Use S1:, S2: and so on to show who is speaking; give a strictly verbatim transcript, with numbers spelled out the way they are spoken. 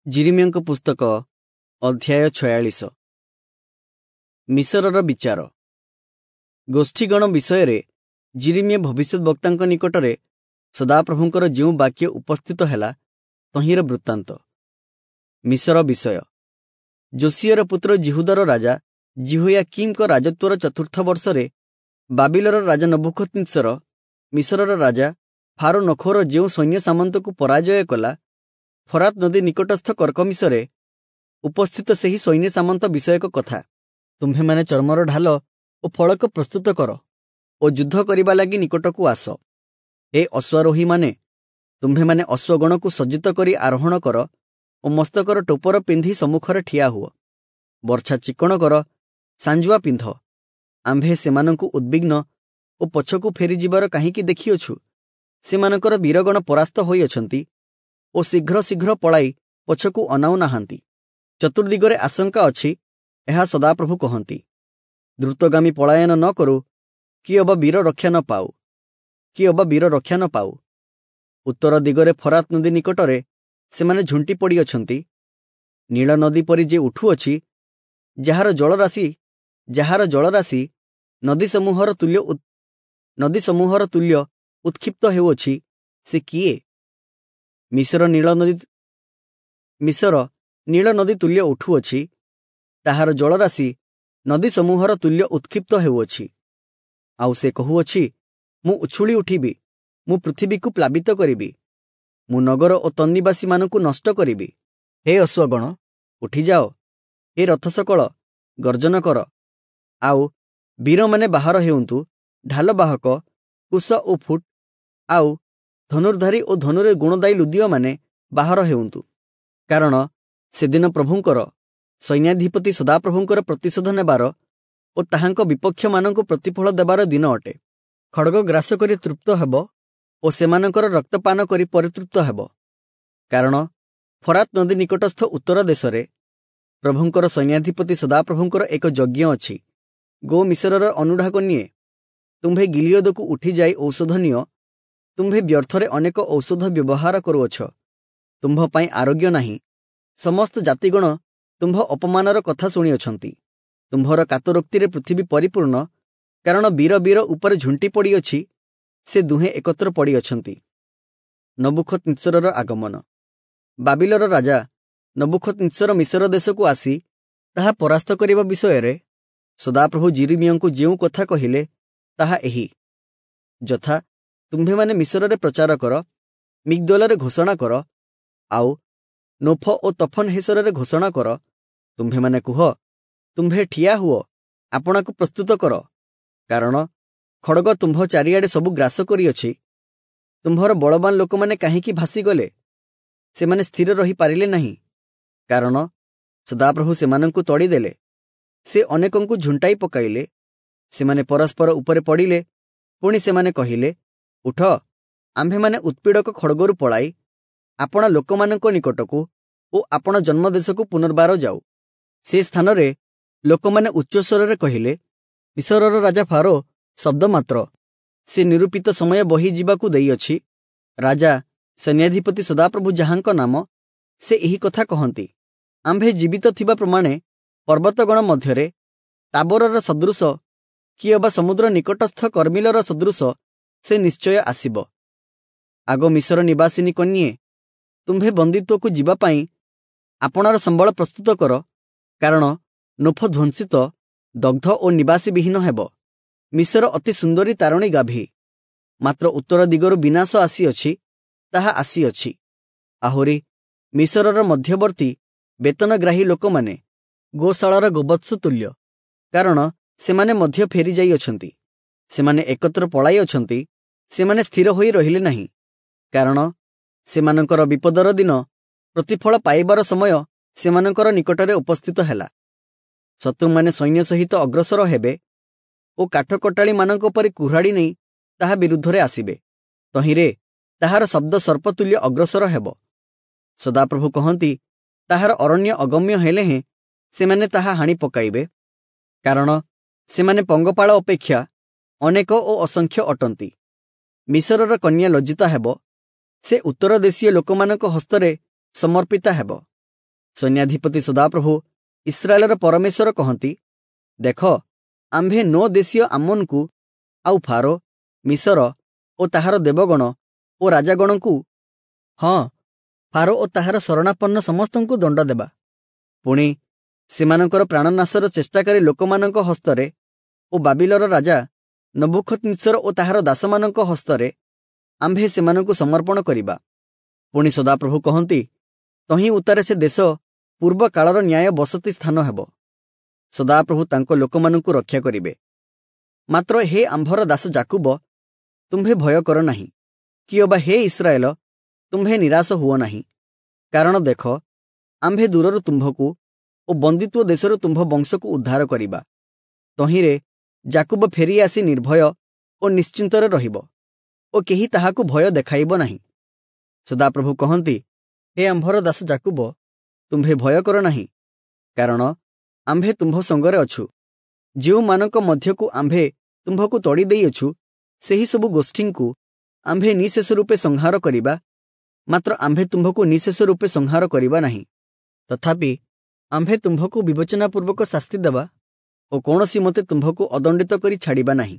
S1: ଯିରିମିୟଙ୍କ ପୁସ୍ତକ ଅଧ୍ୟାୟ ଛୟାଳିଶ। ମିଶରର ବିଚାର। ଗୋଷ୍ଠୀଗଣ ବିଷୟରେ ଯିରିମିୟ ଭବିଷ୍ୟଦ୍‌ବକ୍ତାଙ୍କ ନିକଟରେ ସଦାପ୍ରଭୁଙ୍କର ଯେଉଁ ବାକ୍ୟ ଉପସ୍ଥିତ ହେଲା, ତହିଁର ବୃତ୍ତାନ୍ତ। ମିଶର ବିଷୟ। ଯୋଶୀୟର ପୁତ୍ର ଯିହୁଦାର ରାଜା ଯିହୋୟାକୀମଙ୍କ ରାଜତ୍ୱର ଚତୁର୍ଥ ବର୍ଷରେ ବାବିଲର ରାଜା ନବୂଖଦନିତ୍ସର ମିଶରର ରାଜା ଫାରୋ ନଖୋର ଯେଉଁ ସୈନ୍ୟ ସାମନ୍ତକୁ ପରାଜୟ କଲା, ଫରାତ ନଦୀ ନିକଟସ୍ଥ କର୍କମିଶରେ ଉପସ୍ଥିତ ସେହି ସୈନ୍ୟ ସାମନ୍ତ ବିଷୟକ କଥା। ତୁମ୍ଭେମାନେ ଚର୍ମର ଢାଲ ଓ ଫଳକ ପ୍ରସ୍ତୁତ କର ଓ ଯୁଦ୍ଧ କରିବା ଲାଗି ନିକଟକୁ ଆସ। ହେ ଅଶ୍ୱାରୋହୀମାନେ, ତୁମ୍ଭେମାନେ ଅଶ୍ୱଗଣକୁ ସଜ୍ଜିତ କରି ଆରୋହଣ କର ଓ ମସ୍ତକର ଟୋପର ପିନ୍ଧି ସମ୍ମୁଖରେ ଠିଆ ହୁଅ। ବର୍ଚ୍ଛା ଚିକ୍କଣ କର, ସାଞ୍ଜୁଆ ପିନ୍ଧ। ଆମ୍ଭେ ସେମାନଙ୍କୁ ଉଦ୍ବିଗ୍ନ ଓ ପଛକୁ ଫେରିଯିବାର କାହିଁକି ଦେଖିଅଛୁ? ସେମାନଙ୍କର ବୀରଗଣ ପରାସ୍ତ ହୋଇଅଛନ୍ତି ଓ ଶୀଘ୍ର ଶୀଘ୍ର ପଳାଇ ପଛକୁ ଅନାଉ ନାହାନ୍ତି। ଚତୁର୍ଦ୍ଦିଗରେ ଆଶଙ୍କା ଅଛି, ଏହା ସଦାପ୍ରଭୁ କହନ୍ତି। ଦ୍ରୁତଗାମୀ ପଳାୟନ ନ କରୁ କି ଅବା ବୀର ରକ୍ଷା ନ ପାଉ କି ଅବା ବୀର ରକ୍ଷା ନ ପାଉ। ଉତ୍ତର ଦିଗରେ ଫରାତ ନଦୀ ନିକଟରେ ସେମାନେ ଝୁଣ୍ଟି ପଡ଼ିଅଛନ୍ତି। ନୀଳ ନଦୀ ପରି ଯେ ଉଠୁଅଛି, ଯାହାର ଜଳରାଶି ଯାହାର ଜଳରାଶି ନଦୀ ସମୂହର ତୁଲ୍ୟ ନଦୀ ସମୂହର ତୁଲ୍ୟ ଉତ୍କ୍ଷିପ୍ତ ହେଉଅଛି, ସେ କିଏ? ମିଶର ନୀଳ ନଦୀ ମିଶର ନୀଳ ନଦୀ ତୁଲ୍ୟ ଉଠୁଅଛି, ତାହାର ଜଳରାଶି ନଦୀ ସମୂହର ତୁଲ୍ୟ ଉତ୍କ୍ଷିପ୍ତ ହେଉଅଛି। ଆଉ ସେ କହୁଅଛି, ମୁଁ ଉଛୁଳି ଉଠିବି, ମୁଁ ପୃଥିବୀକୁ ପ୍ଲାବିତ କରିବି, ମୁଁ ନଗର ଓ ତନ୍ନିବାସୀମାନଙ୍କୁ ନଷ୍ଟ କରିବି। ହେ ଅଶ୍ୱଗଣ, ଉଠିଯାଅ, ହେ ରଥସକଳ, ଗର୍ଜନ କର। ଆଉ ବୀରମାନେ ବାହାର ହେଉନ୍ତୁ, ଢାଲବାହକ, କୁଶ ଓ ଫୁଟ, ଆଉ ଧନୁର୍ଧାରୀ ଓ ଧନୁରେ ଗୁଣଦାୟୀ ଲୁଦୀୟମାନେ ବାହାର ହେଉନ୍ତୁ। କାରଣ ସେଦିନ ପ୍ରଭୁଙ୍କର, ସୈନ୍ୟାଧିପତି ସଦାପ୍ରଭୁଙ୍କର ପ୍ରତିଶୋଧ ନେବାର ଓ ତାହାଙ୍କ ବିପକ୍ଷମାନଙ୍କୁ ପ୍ରତିଫଳ ଦେବାର ଦିନ ଅଟେ। ଖଡ଼ଗ ଗ୍ରାସ କରି ତୃପ୍ତ ହେବ ଓ ସେମାନଙ୍କର ରକ୍ତପାନ କରି ପରିତୃପ୍ତ ହେବ। କାରଣ ଫରାତ ନଦୀ ନିକଟସ୍ଥ ଉତ୍ତର ଦେଶରେ ପ୍ରଭୁଙ୍କର ସୈନ୍ୟାଧିପତି ସଦାପ୍ରଭୁଙ୍କର ଏକ ଯଜ୍ଞ ଅଛି। ଗୋ ମିଶରର ଅନୁଢାକ ନିଏ, ତୁମ୍ଭେ ଗିଲିୟଦକୁ ଉଠିଯାଇ ଔଷଧ ନିଅ। ତୁମ୍ଭେ ବ୍ୟର୍ଥରେ ଅନେକ ଔଷଧ ବ୍ୟବହାର କରୁଅଛ, ତୁମ୍ଭ ପାଇଁ ଆରୋଗ୍ୟ ନାହିଁ। ସମସ୍ତ ଜାତିଗଣ ତୁମ୍ଭ ଅପମାନର କଥା ଶୁଣିଅଛନ୍ତି। ତୁମ୍ଭର କାତରୋକ୍ତିରେ ପୃଥିବୀ ପରିପୂର୍ଣ୍ଣ, କାରଣ ବୀର ବୀର ଉପରେ ଝୁଣ୍ଟି ପଡ଼ିଅଛି, ସେ ଦୁହେଁ ଏକତ୍ର ପଡ଼ିଅଛନ୍ତି। ନବୂଖଦନିତ୍ସରର ଆଗମନ। ବାବିଲର ରାଜା ନବୂଖଦନିତ୍ସର ମିଶର ଦେଶକୁ ଆସି ତାହା ପରାସ୍ତ କରିବା ବିଷୟରେ ସଦାପ୍ରଭୁ ଯିରିମିୟଙ୍କୁ ଯେଉଁ କଥା କହିଲେ, ତାହା ଏହି। ଯଥା, ତୁମ୍ଭେମାନେ ମିଶରରେ ପ୍ରଚାର କର, ମିଗ୍ଦୋଲରେ ଘୋଷଣା କର, ଆଉ ନୋଫ ଓ ତଫନହେସରରେ ଘୋଷଣା କର। ତୁମ୍ଭେମାନେ କୁହ, ତୁମ୍ଭେ ଠିଆ ହୁଅ, ଆପଣାକୁ ପ୍ରସ୍ତୁତ କର, କାରଣ ଖଡ଼ଗ ତୁମ୍ଭ ଚାରିଆଡ଼େ ସବୁ ଗ୍ରାସ କରିଅଛି। ତୁମ୍ଭର ବଳବାନ ଲୋକମାନେ କାହିଁକି ଭାସିଗଲେ? ସେମାନେ ସ୍ଥିର ରହିପାରିଲେ ନାହିଁ, କାରଣ ସଦାପ୍ରଭୁ ସେମାନଙ୍କୁ ତଡ଼ିଦେଲେ। ସେ ଅନେକଙ୍କୁ ଝୁଣ୍ଟାଇ ପକାଇଲେ, ସେମାନେ ପରସ୍ପର ଉପରେ ପଡ଼ିଲେ। ପୁଣି ସେମାନେ କହିଲେ, ଉଠ, ଆମ୍ଭେମାନେ ଉତ୍ପୀଡ଼କ ଖଡ଼ଗରୁ ପଳାଇ ଆପଣା ଲୋକମାନଙ୍କ ନିକଟକୁ ଓ ଆପଣା ଜନ୍ମଦେଶକୁ ପୁନର୍ବାର ଯାଉ। ସେ ସ୍ଥାନରେ ଲୋକମାନେ ଉଚ୍ଚସ୍ୱରରେ କହିଲେ, ମିଶରର ରାଜା ଫାରୋ ଶବ୍ଦ ମାତ୍ର, ସେ ନିରୂପିତ ସମୟ ବହିଯିବାକୁ ଦେଇଅଛି। ରାଜା ସୈନ୍ୟାଧିପତି ସଦାପ୍ରଭୁ ଯାହାଙ୍କ ନାମ, ସେ ଏହି କଥା କହନ୍ତି, ଆମ୍ଭେ ଜୀବିତ ଥିବା ପ୍ରମାଣେ ପର୍ବତଗଣ ମଧ୍ୟରେ ତାବୋରର ସଦୃଶ କି ଅବା ସମୁଦ୍ର ନିକଟସ୍ଥ କର୍ମିଲର ସଦୃଶ ସେ ନିଶ୍ଚୟ ଆସିବ। ଆଗ ମିଶର ନିବାସିନୀ କନ୍ୟେ, ତୁମ୍ଭେ ବନ୍ଦୀତ୍ୱକୁ ଯିବା ପାଇଁ ଆପଣାର ସମ୍ବଳ ପ୍ରସ୍ତୁତ କର, କାରଣ ନୋଫ ଧ୍ୱଂସିତ, ଦଗ୍ଧ ଓ ନିବାସୀବିହୀନ ହେବ। ମିଶର ଅତି ସୁନ୍ଦରୀ ତାରଣୀ ଗାଭୀ, ମାତ୍ର ଉତ୍ତର ଦିଗରୁ ବିନାଶ ଆସିଅଛି, ତାହା ଆସିଅଛି। ଆହୁରି ମିଶରର ମଧ୍ୟବର୍ତ୍ତୀ ବେତନଗ୍ରାହୀ ଲୋକମାନେ ଗୋଶାଳାର ଗୋବତ୍ସ ତୁଲ୍ୟ, କାରଣ ସେମାନେ ମଧ୍ୟ ଫେରିଯାଇଅଛନ୍ତି। ସେମାନେ ଏକତ୍ର ପଳାଇଅଛନ୍ତି, ସେମାନେ ସ୍ଥିର ହୋଇ ରହିଲେ ନାହିଁ, କାରଣ ସେମାନଙ୍କର ବିପଦର ଦିନ, ପ୍ରତିଫଳ ପାଇବାର ସମୟ ସେମାନଙ୍କର ନିକଟରେ ଉପସ୍ଥିତ ହେଲା। ଶତ୍ରୁମାନେ ସୈନ୍ୟ ସହିତ ଅଗ୍ରସର ହେବେ ଓ କାଠକଟାଳିମାନଙ୍କ ପରି କୁହ୍ରାଡ଼ି ନେଇ ତାହା ବିରୁଦ୍ଧରେ ଆସିବେ। ତହିଁରେ ତାହାର ଶବ୍ଦ ସର୍ପତୁଲ୍ୟ ଅଗ୍ରସର ହେବ। ସଦାପ୍ରଭୁ କହନ୍ତି, ତାହାର ଅରଣ୍ୟ ଅଗମ୍ୟ ହେଲେ ହେଁ ସେମାନେ ତାହା ହାଣି ପକାଇବେ, କାରଣ ସେମାନେ ପଙ୍ଗପାଳ ଅପେକ୍ଷା ଅନେକ ଓ ଅସଂଖ୍ୟ ଅଟନ୍ତି। ମିଶରର କନ୍ୟା ଲଜ୍ଜିତା ହେବ, ସେ ଉତ୍ତର ଦେଶୀୟ ଲୋକମାନଙ୍କ ହସ୍ତରେ ସମର୍ପିତା ହେବ। ସୈନ୍ୟାଧିପତି ସଦାପ୍ରଭୁ ଇସ୍ରାଏଲର ପରମେଶ୍ୱର କହନ୍ତି, ଦେଖ, ଆମ୍ଭେ ନୋ ଦେଶୀୟ ଆମ୍ମୋନକୁ ଆଉ ଫାରୋ, ମିଶର ଓ ତାହାର ଦେବଗଣ ଓ ରାଜାଗଣଙ୍କୁ, ହଁ, ଫାରୋ ଓ ତାହାର ଶରଣାପନ୍ନ ସମସ୍ତଙ୍କୁ ଦଣ୍ଡ ଦେବା। ପୁଣି ସେମାନଙ୍କର ପ୍ରାଣନାଶର ଚେଷ୍ଟାକାରୀ ଲୋକମାନଙ୍କ ହସ୍ତରେ ଓ ବାବିଲର ରାଜା ନବୂଖଦ୍ନିତ୍ସର ଓ ତାହାର ଦାସମାନଙ୍କ ହସ୍ତରେ ଆମ୍ଭେ ସେମାନଙ୍କୁ ସମର୍ପଣ କରିବା। ପୁଣି ସଦାପ୍ରଭୁ କହନ୍ତି, ତହିଁ ଉତ୍ତାରେ ସେ ଦେଶ ପୂର୍ବ କାଳର ନ୍ୟାୟ ବସତି ସ୍ଥାନ ହେବ। ସଦାପ୍ରଭୁ ତାଙ୍କ ଲୋକମାନଙ୍କୁ ରକ୍ଷା କରିବେ। ମାତ୍ର ହେ ଆମ୍ଭର ଦାସ ଯାକୁବ, ତୁମ୍ଭେ ଭୟ କର ନାହିଁ, କି ଅବା ହେ ଇସ୍ରାଏଲ, ତୁମ୍ଭେ ନିରାଶ ହୁଅ ନାହିଁ। କାରଣ ଦେଖ, ଆମ୍ଭେ ଦୂରରୁ ତୁମ୍ଭକୁ ଓ ବନ୍ଦିତ୍ୱ ଦେଶରୁ ତୁମ୍ଭ ବଂଶକୁ ଉଦ୍ଧାର କରିବା। ତହିଁରେ ଯାକୁବ ଫେରି ଆସି ନିର୍ଭୟ ଓ ନିଶ୍ଚିନ୍ତରେ ରହିବ ଓ କେହି ତାହାକୁ ଭୟ ଦେଖାଇବ ନାହିଁ। ସଦାପ୍ରଭୁ କହନ୍ତି, ହେ ଆମ୍ଭର ଦାସ ଯାକୁବ, ତୁମ୍ଭେ ଭୟ କର ନାହିଁ, କାରଣ ଆମ୍ଭେ ତୁମ୍ଭ ସଙ୍ଗରେ ଅଛୁ। ଯେଉଁମାନଙ୍କ ମଧ୍ୟକୁ ଆମ୍ଭେ ତୁମ୍ଭକୁ ତଡ଼ି ଦେଇଅଛୁ, ସେହି ସବୁ ଗୋଷ୍ଠୀଙ୍କୁ ଆମ୍ଭେ ନିଃଶେଷ ରୂପେ ସଂହାର କରିବା, ମାତ୍ର ଆମ୍ଭେ ତୁମ୍ଭକୁ ନିଃଶେଷ ରୂପେ ସଂହାର କରିବା ନାହିଁ। ତଥାପି ଆମ୍ଭେ ତୁମ୍ଭକୁ ବିବେଚନାପୂର୍ବକ ଶାସ୍ତି ଦେବା ଓ କୌଣସି ମତେ ତୁମ୍ଭକୁ ଅଦଣ୍ଡିତ କରି ଛାଡ଼ିବା ନାହିଁ।